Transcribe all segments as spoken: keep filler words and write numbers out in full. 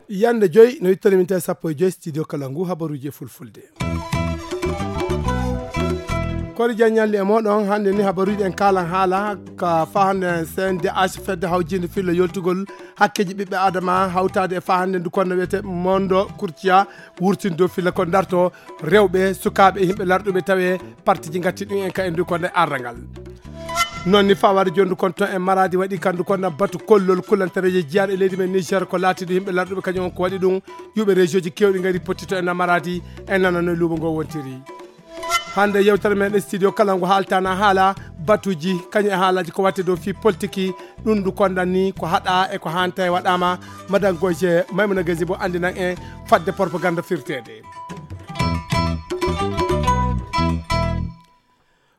Yande joyi no ittani min tawi sappo e joyi studio kala ngu habaruji e fulfulde. Kori jaññalli e moɗon hannde ni habaruji en kalan haala ka fahande C N D H fedde hawjinde filla yoltugol hakkeji ɓiɓɓe adama hawtade e fahande ndu konno wiyete mondo kurciya wurtindo filla ko darto rewɓe sukaɓe e yimɓe larɗuɓe tawe partiji gatti ɗum en ka e ndu konno e arrangal. Non ni fawade jondu kon ton e maradi waɗi kandu kon na batu kollol kulantareje jiyaɗe leydi men Niger ko laatiɗo yimɓe larɗuɓe kañum on ko waɗi ɗum yuɓe région ji kewɗi ngari pottito e namaradi e nanano e luumo ngo wontiri. Hande yewtere men e studio kala ngo haaltana haala batuji kañum e haalaji ko watte dow fi politiki ɗum ndu kondan ni ko haɗa e ko hanta e waɗama. Madan goje maymuna gasi bo andinan en fadde propagande firtede.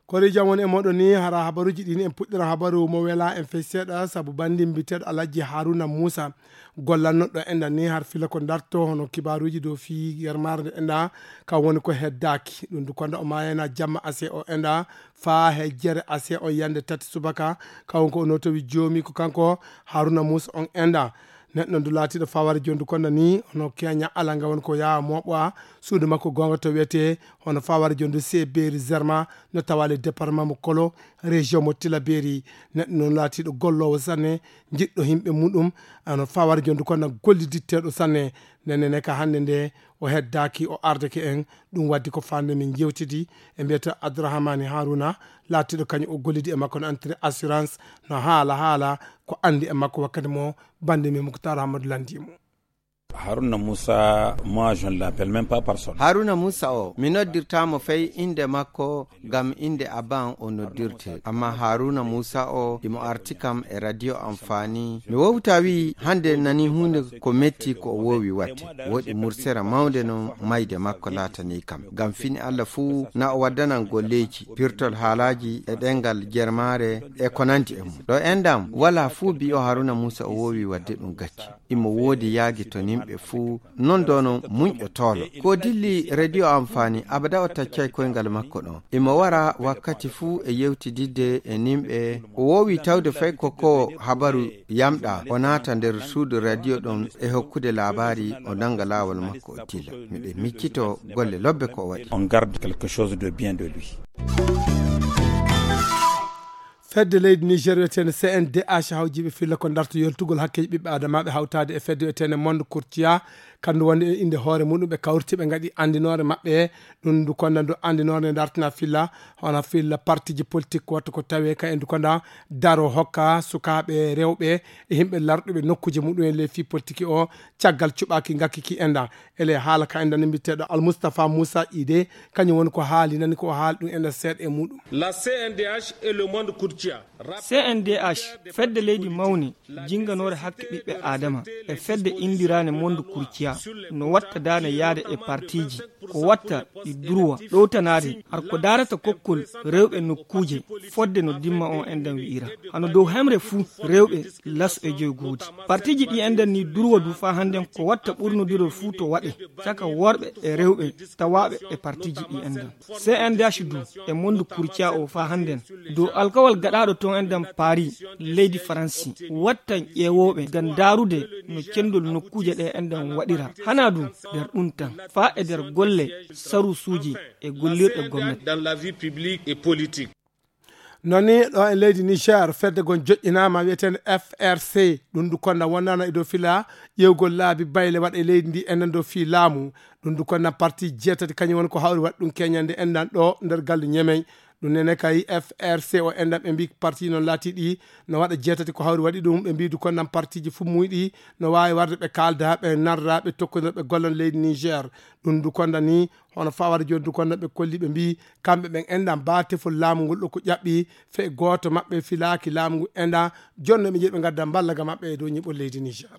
Kori jam woni e moɗon ni hara habaruji ɗin en puɗɗira habaru mo wela en fey seeɗa sabu bandi mbiteɗo alhaji haruna moussa gollannoɗo enɗa ni har fila ko darto hono kibaruji dow fi yermare nde enɗa kam woni ko heddaki ɗum du konda o mayena jamma ase o enɗa fa he jere ase on yande tati subaka kawon ko o notowi jomi ko kanko haruna moussa on enɗa. Neɗɗo ndu laatiɗo faware jondu konda ni hono keña ala nga woni ko yawa moɓoa suudu makko gonga to wiyete hono faware jondu se beeri zerma no tawale département mo kolo région mo tilaberi. Neɗɗo noon laatiɗo gollowo sanne jiɗɗo yimɓe muɗum ano faware jondu konda golliditteɗo sanne. Nenene ka hannde nde o heddaki o ardeke en ɗum waddi ko fande min jewtidi e mbiyata abdourahamani haruna laatiɗo kañum o gollidi e makko no entri assurance no haala haala ko andi e makko wakkati mo bande min muktar hamadou landimo. Haruna Musa, moi je ne l'appelle même pas par son nom. Haruna Musa o, mi noddirta mo fay inde makko ngam inde aban o noddirte. Amma Haruna Musa o, imo arti kam e radio Amfani. Mi wowta wi hande nani hunde ko metti ko o wowi watte. Wodi mursere mawnde no mayde makko latani kam. Ngam fini Allah fuu na o waddanan golleji, pirtol haalaji e ɗengal jermare e ko nandi e mum. Ɗo endam wala fuu biyo Haruna Musa o wowi wadde ɗum gacce. Imo woodi yaagi to nimɓe fuu, non doono muñƴo toolo. Ko dilli radio Amfani, abada o taccay koyngal makko ɗon. Imo wara wakkati fuu e yewtididde e nimɓe. O woowi tawde fay ko ko habaru yamɗa, o naata nder suudu radio ɗon e hokkude labari, o nanga laawol makko o dilla. Miɗen miccito golle lobbe ko o waɗi. On garde quelque chose de bien de lui. Fedde leydi niger wiyetende C N D H hawjiɓe filla ko darto yoltugol hakkeji ɓiɓɓe adamaɓe hawtade e fedde wiyetende monde courtia kandu woni e inde hoore muɗum ɓe kawriti ɓe gaɗi andinore maɓɓe. Ɗum ndu konda ndu andinore nde dartina filla hono filla partiji politique wattu ko tawe ka e ndu konda daro hokka sukaɓe rewɓe e yimɓe larɗuɓe nokkuje muɗum e ley fi politique o. Caggal cuɓaki gakkiki enda ele haala ka enda no mbiteɗo almustapha moussa ide kañum woni ko haali nani ko haali ɗum enda seeɗa e muɗum. La C N D H et le monde courtia. C N D H fedde leydi mawne jinganore hakke ɓiɓɓe adama e fedde indirane monde courtia no watta dane yaade e partiji ko watta ɗi durwa ɗowtanade har ko darata kokkol rewɓe nokkuje fodde no dimma on endan wi'ira hano dow hemre fuu rewɓe laso e joy goodi. Partiji ɗi endan ni durwa du fa handen ko watta ɓurnodirol fuu to waɗe caka worɓe e rewɓe tawaɓe e partiji ɗi endan. C N D H du e monde courtia o fa hannden dow alkawal gaɗaɗo ton endan paris leydi faransi wattan ƴeewoɓe ngam ndarude no cendol nokkuje ɗe endan waɗira hana du nder ɗum tan fa e nder golle sarusuji e gollirɗe gomnati. Dans la vie publique et politique. Noni ɗo e leydi niger fedde gon joƴƴinama wiyetende F R C ɗum ndu konda wonnano e dow fila ƴewgol laabi bayle waɗa e leydi ndi enen dow fi laamu. Ɗum ndu konda parti jeetati kañum woni ko hawri waɗi ɗum keñande endan ɗo nder galle ñemey. Ɗum nene kay F R C o endan ɓe mbi parti noon laati ɗi no waɗa jeetati ko hawri waɗi ɗum ɓe mbi du kondan partiji fuu muyɗi no wawi warde ɓe kalda ɓe narra ɓe tokkodira ɓe gollan leydi niger. Ɗum ndu konda ni hono fawade joni du konda ɓe kolli ɓe mbi kamɓe ɓen enɗan ba tefol laamu ngol ɗo ko ƴaɓɓi fe goto maɓɓe filaki laamu ngu enɗan. Jonno ɓe jiɗi ɓe gadda mballaga maɓɓe e dow ñiɓol leydi niger.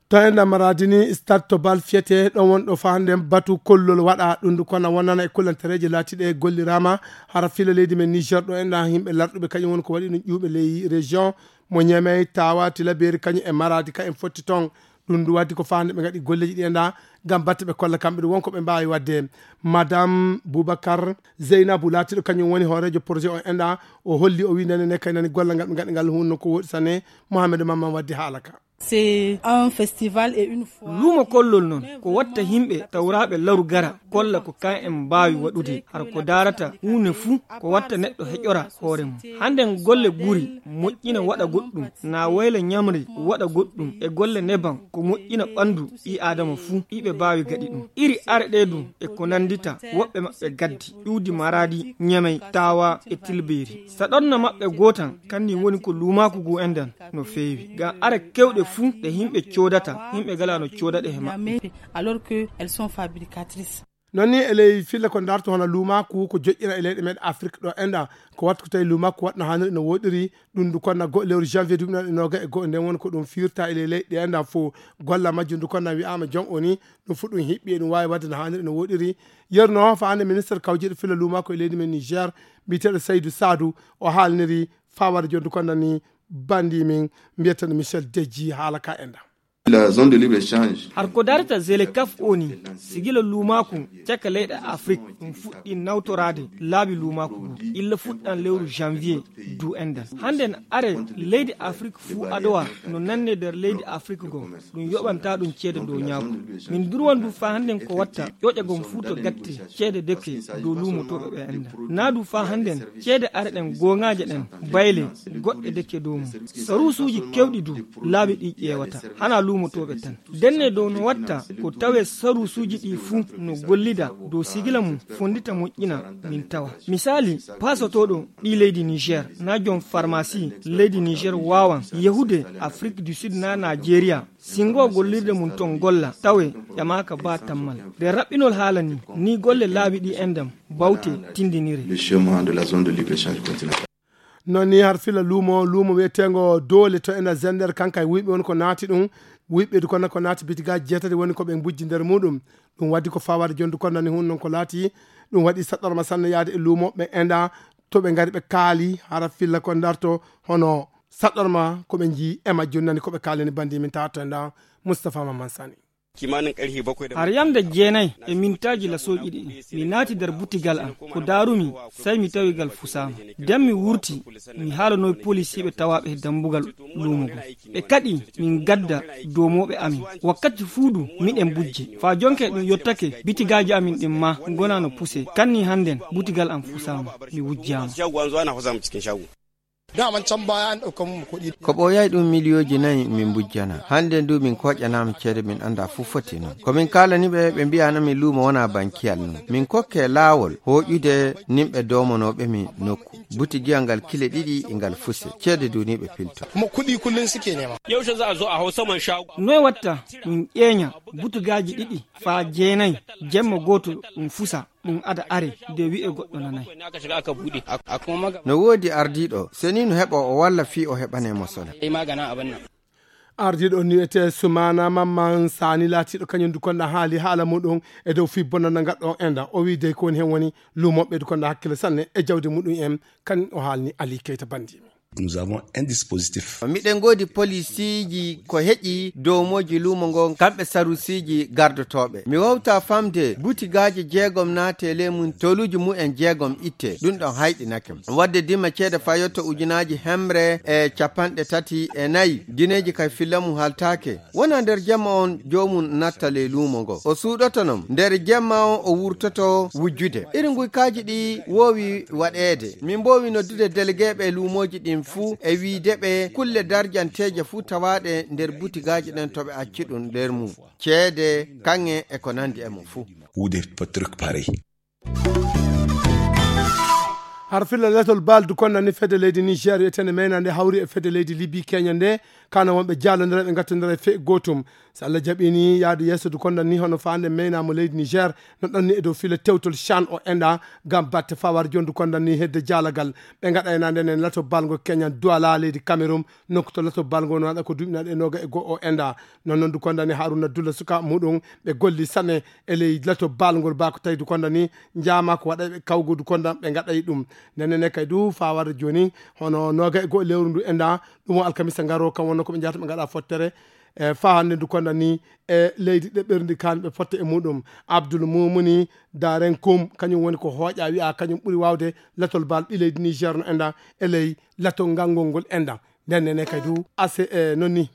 To enɗan maradi ni stade to bal fiyete ɗon won ɗo fahanden batu kollol waɗa ɗum du kona wonana e kullantereji latiɗe gollirama hara fila leydi men niger ɗo enɗan yimɓe larɗuɓe kañum won ko waɗi ɗum ƴuɓe ley région mo ñamey tawa tilaberi kañum e maradi ka en fotti ton. Ɗum ndu waddi ko faande ɓe ngaɗi golleeji ɗi enɗa ngam batte ɓe kolla kamɓe ɗum wonko ɓe mbaawi waɗde. Madame Boubacar Zeynabou laatiiɗo kañum woni hooreejo projet o enɗa, o holli, o wi nene ne kay nani golla ngal ɓe ngaɗi ngal hunno ko woɗi sane. Mohamed Mamman waddi haala ka. C'est un festival et une foire. Luumo kollol noon ko watta yimɓe tawraaɓe laru gara kolla ko kan en mbaawi waɗude. Hara ko daarata huunde fuu ko watta neɗɗo heƴora hoore mum. Hannde golle guri moƴƴina waɗa goɗɗum, na wayla ñamri waɗa goɗɗum, e golle neban ko moƴƴina ɓanndu ɓii aadama fuu, iɓe mbaawi gaɗi ɗum. Iri are ɗe ɗum e ko nanndita woɓɓe maɓɓe gaddi, ƴuwdi maraadi, ñamey, taawa e tilbeeri. Saɗorna maɓɓe gootan, kanni woni ko luumaaku ngu enɗan no feewi. Ngam are kewɗe fuu ɗe yimɓe coodata, yimɓe gala no coodaɗe he maɓɓe. Alors que elles sont fabricatrices. Noon ni e ley filla ko darto hono luumaaku ko joƴƴina e leyɗe meɗen Afrik ɗo enɗa, ko wattu ko tawi luumaaku waɗno haaniri no woɗiri, ɗum ndu konna go-, lewru janvier duuɓi noon e noga e go'o, nden woni ko ɗum firta e ley leyɗe enɗa fof. Golla majjum ndu konna wi'aama jon o ni, ɗum fof ɗum hiɓɓi e ɗum waawi waɗde no haaniri no woɗiri. Yerno fa hannde ministre kawjiiɗo filla luumaaku e leydi men Niger, mbiyeteeɗo Saydou Sadou, o haalniri fawade jon ndu konna ni bandi min mbiyeteeɗo Michel Deji haala ka enɗa. La zone de libre échange. Har ko darata zelekaf o ni, sigila luumaaku caka leyɗe Afrik ɗum fuɗɗi nawtoraade laabi luumaaku ngu illa fuɗɗan lewru janvier du enɗan. Hannden are leydi Afrik fuu adowa no nanne nder leydi Afrik go ɗum yoɓanta ɗum ceede dow ñaaku. Min durwan du fa hannden ko watta ƴoƴa gom fuu to gatte ceede deke dow luumotooɓe ɓe enɗan. Naa du fa hannden ceede are ɗen gooŋaaje ɗen bayle goɗɗe deke dow mum. Saruusuuji kewɗi du laabi ɗi ƴeewata, hana luumotooɓe tan. Denne dow no watta ko tawe saruusuuji ɗi fuu no gollida dow sigila mum fonndita moƴƴina min tawa. Misaali, paasotooɗo ɓii leydi Niger, na jom farmasi leydi Niger waawan yahude Afrik du Sud na Nigeria. Singo gollirde mum ton golla, tawe ƴamaaka ba tammal. Nde raɓɓinol haala ni, ni golle laabi ɗi enɗam bawte tindinire. Le chemin de la zone de libre-échange continentale. Noon ni har fila luumo, luumo wiyeteengo Doole to ena Zender, kanka e wuyɓe woni ko naati ɗum. Wuyɓe du kono ko naati bitigaaji jeetati woni ko ɓe mbujji nder muɗum. Ɗum waddi ko fawaade jondu kono nani hun noon ko laati. Ɗum waɗi saɗɗorma sanne yaade e luumo ɓe enda to ɓe ngari ɓe kaali hara filla ko darto hono saɗɗorma ko ɓe njii e majjum nani ko ɓe kaalani bandi min tawa to enda Moustapha Mamman Sani. Har yamde jeenay e mintaaji lasooji ɗiɗi, mi naati nder butigal am. Ko daarumi, sey mi tawi ngal fusaama. Nden mi wurti, mi haalanoy polisiiɓe tawaaɓe he dambugal luumo ngon. Ɓe kaɗi min gadda doomooɓe amin. Wakkati fuu du, miɗen bujje. Faa jonke ɗum yottake, bitigaaji amin ɗin maa ngona no puse. Kanni hannden, butigal am fusaama, mi wujjaama. Daman can baya an ɗaukan mu kuɗi. Ko ɓooyay ɗum miliyooji nayi min mbujjana. Hannde ndu min kooƴanaama ceede min anndaa fof foti noon. Ko min kaalani ɓe, ɓe mbi'ana min luumo wonaa bankiyal noon. Min kokke laawol hooƴude nimɓe doomonooɓe mi nokku. Butigiyal ngal kile ɗiɗi e ngal fuse. Ceede du ni ɓe pilto. Kuma kuɗi kullum suke nema. Yaushe za a zo a hau saman shago? Noy watta min ƴeeña butugaaji ɗiɗi faa jeenay jemma gooto ɗum fusa. Ɗum ada are de wi'e goɗɗo nanay. No woodi ardiiɗo, seni no heɓa o walla fii o heɓane mo sola. Ardiiɗo on ni wiyetee Sumaana Mamman Saani laatiiɗo kañum du konɗa haali haala muɗum e dow fii bonnanda ngal ɗo enda. O wii dey ko woni hen woni luumooɓe du konɗa hakkille sanne e jawdi muɗum en. Kan o haalni Ali Keyta Bandi. Nous avons un dispositif. Miɗen ngoodi polisiiji ko heƴi dow mooji luumo ngo kamɓe sarusiiji gardotooɓe. Mi wowta famde butigaaji jeegom naate ley mum toluuji mumen jeegom itte. Ɗum ɗon hayɗinake. Wadde dima ceede fayotto ujunaaji hemre e capanɗe tati e nayi. Gineeji kay filla mum haltaake. Wona nder jemma on joomum natta ley luumo ngo. O suuɗoto non. Nder jemma on o wurtoto wujjude. Iri nguykaaji ɗi woowi waɗeede. Min mboowi noddude delegeeɓe luumooji ɗin fuu e wiide ɓe kulle darjanteeje fuu tawaaɗe nder butigaaji ɗen to ɓe acci ɗum nder mum. Ceede, kaŋŋe e ko nandi e mum fuu. Ou des trucs pareils. Har filla letol bal du konna ni fedde leydi Niger wiyetende Meyna nde hawri e fedde leydi Libi Kenya nde, kano wonɓe jallondira ɓe gattondira e fe gootum. So Allah jaɓi ni yaadu yeeso du konna ni hono faande Meyna mo leydi Niger no ɗon ni e dow fila tewtol chan o enda ngam batte fawar jondu konna ni hedde jaalagal. Ɓe gaɗa e nande nen lato balgo Kenya Douala leydi Cameroun nokku to lato balgo no waɗa ko duuɓi naɗe noga e go'o o enda. Non non du konna ni Haruna Dula suka muɗum ɓe golli sanne e ley lato balgol ba ko tawi du konna ni jaama ko waɗa ɓe kawgo du konna ɓe gaɗa e ɗum. Nenne ne kay du fawar joni hono noga e go'o lewru ndu enda ɗum o alkamisa ngaro kam wonno ko ɓe jahata ɓe gaɗa fottere. E faa hannde ndu konna ni e leydi ɗeɓɓirndi kaan ɓe potta e muɗum. Abdul Mumuni Daren Kum, kañum woni ko hooƴa wi'a kañum ɓuri waawde latol bal ɓi leydi Niger no enɗan e ley latol ngal ngol ngol enɗan. Nden nene kay du, ase e non ni.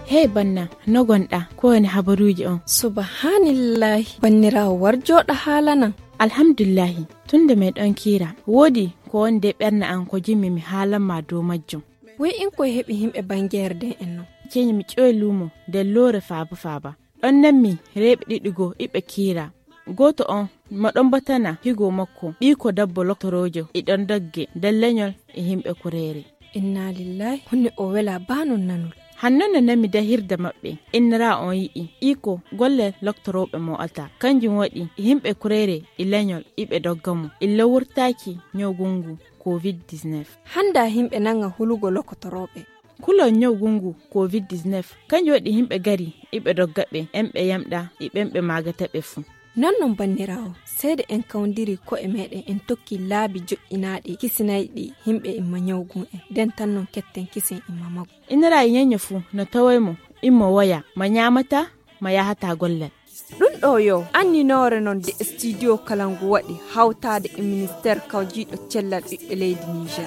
Hey banna, no gonɗa? Ko woni habaruuji on? Subhanallahi, banniraawo war jooɗa haalanan. Alhamdulillahi, tun nde meɗon kiira, woodi ko woni de ɓernde an ko jimmi mi haalan ma dow majjum. Woy in koye heɓi himɓe bangeere den en non. Ceñi mi ƴoy luumo nder loore faaba faaba. Ɗon nanmi reeɓe ɗiɗi goo iɓe kiira. Gooto on mo ɗon batana higo makko, ɓii ko dabbo loktoroojo e ɗon dogge nder leñol e himɓe kureere. Inna lillahi, honne o wela baa non nanol. Hanno no nanmi dahirde maɓɓe, innira on yi'i, ii ko golle loktorooɓe mo alta. Kanjum waɗi himɓe kureere e leñol iɓe dogga mo, illa wurtaaki ñawgungu covid dix-neuf. Hannda himɓe nanga hulugo loktorooɓe. Kulol ñawgungu covid dix-neuf, kanjum waɗi himɓe gari iɓe dogga ɓe, en ɓe yamɗa e ɓen ɓe maagata ɓe fuu. Non non banniraawo, seede en kawndiri ko'e meɗen en tokki laabi joƴƴinaaɗi kisinayɗi himɓe imma ñawgun en, den tan non ketten kisen imma magu. Inira e ñeño fuu no tawoy mo, immo woya, ma ñaamata, ma yahata gollal. Ɗum ɗo yo anninoore noon de studio kala ngu waɗi hawtaade e ministeer kawjiiɗo cellal ɓiɓɓe leydi Niger.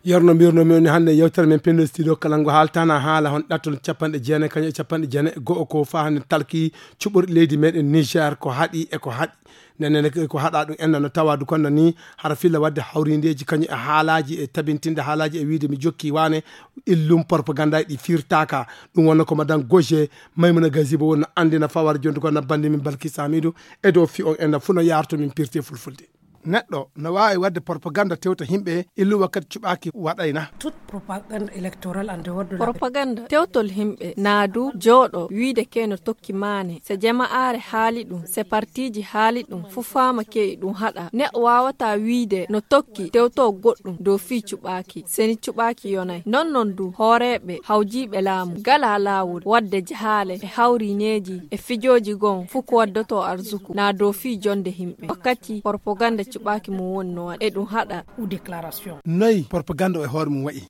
Yerno mbirno mi woni hannde yewtere men pinndo studio kala ngu haaltana haala hon ɗattol capanɗe jeenayi kañum e capanɗe jeenayi e go'o ko faa hannde talki cuɓorɗi leydi meɗen Niger ko haɗi e ko haɗi. Nene ko haɗa ɗum enna no tawa du kono ni hara filla wadde hawrindeeji kañum e haalaaji e tabintinde haalaaji e wiide mi jokki waane illum propaganda ɗi firtaka. Ɗum wonno ko madan goje maymuna gazibo wonno andina fawar jondu ko na bandi min balki samidu e dow fi on enna fu no yarto min pirte fulfulde. Neɗɗo no waawi wadde propaganda tewta himɓe illu wakkati cuɓaaki waɗayna. Toute propagande électorale en dehors de la propaganda tewtol himɓe naadu jooɗo wiide ke no tokki maane se jama'aare haali ɗum se partiiji haali ɗum fu faama ke e ɗum haɗa neɗɗo waawata wiide no tokki tewto goɗɗum dow fii cuɓaaki seni cuɓaaki yonay non non du hooreeɓe hawjiiɓe laamu gala laawol wadde jahaale e hawrineeji e fijooji gon fu ko waddoto arzuku na dow fii jonde himɓe wakkati propaganda cuɓaaki mum woni no waɗa e ɗum haɗa. Noy propaganda o e hoore mum wa'i?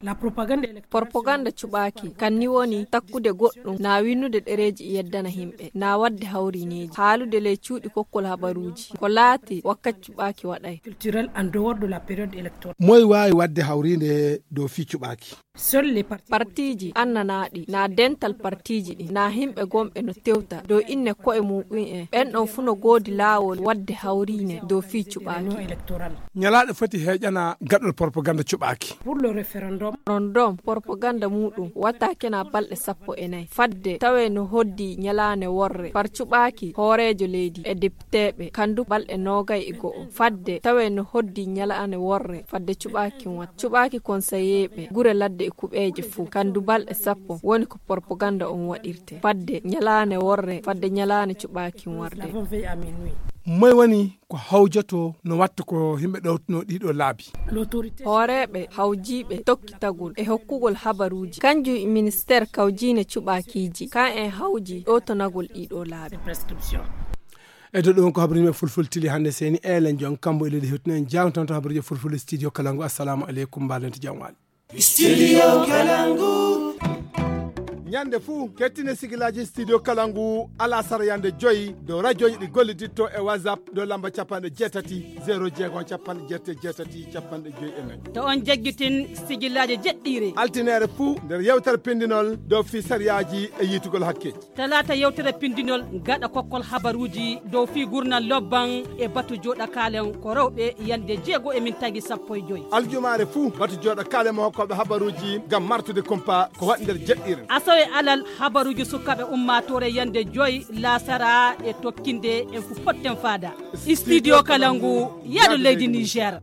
Propaganda cuɓaaki kan ni woni takkude goɗɗum na winnude ɗereeji e yeddana himɓe na wadde hawrineeji haalude ley cuuɗi kokkol habaruuji ko laati wakkati cuɓaaki waɗay. Culturel en dehors de la période électorale. Moy waawi wadde hawriinde dow fii cuɓaaki? Partiiji annanaaɗi na dental partiiji ɗi na himɓe gonɓe no tewta dow inne ko'e muɗum en ɓen ɗon fu no goodi laawol wadde hawriine dow fii cuɓaaki. Ñalaaɗe foti heeƴana gaɗol propaganda cuɓaaki. Rondom propaganda muɗum wata kena balɗe sappo e nayi fadde tawe no hoddi ñalaane worre par cuɓaaki hooreejo leydi e depiteeɓe kandu balɗe noogay e go'o fadde tawe no hoddi ñalaane worre fadde cuɓaaki wat cuɓaaki konseyeeɓe gure ladde e kuɓeeje fuu kandu balɗe sappo woni ko propaganda on waɗirte fadde ñalaane worre fadde ñalaane cuɓaaki warde. Moy woni ko hawjoto no watta ko himɓe ɗowtuno ɗiɗo laabi? Hooreeɓe hawjiiɓe tokkitagol e hokkugol habaruuji kanjum e ministeer kawjiine cuɓaakiiji kan en hawji ɗowtanagol ɗiɗo laabi. E dow ɗum ko habaruuji men fulfultili hannde seni elen jon kambo e leydi hewtino en jawtanto habaruuji fulfulde studio kalangu assalamu aleykum mbaɗen to jam waali. Studio Kalangu. Ñande fuu kettine sigilaaji studio Kalangu alasara yande joyi dow rajooji ɗi golliditto e WhatsApp dow lamba capanɗe jeetati zero jeego capanɗe jeetati jeetati capanɗe joyi e nayi. To on jaggitin sigilaaji jeɗɗiire. Altineere fuu nder yewtere pindinol dow fii sariyaaji e yiitugol hakkeeji. Talaata yewtere pindinol gaɗa kokkol habaruuji dow fii gurnal lobban e batu jooɗa kaalen ko rewɓe yande jeego e min tagi sappo e joyi. Aljumaare fuu batu jooɗa kaalen mo hokkooɓe habaruuji ngam martude kumpa ko waɗi nder jeɗɗiire. Asawe alal habaruuji sukaaɓe ummaatoore yande joyi laasara e tokkinde en fu potten faada. Studio Kalangu yaado leydi Niger.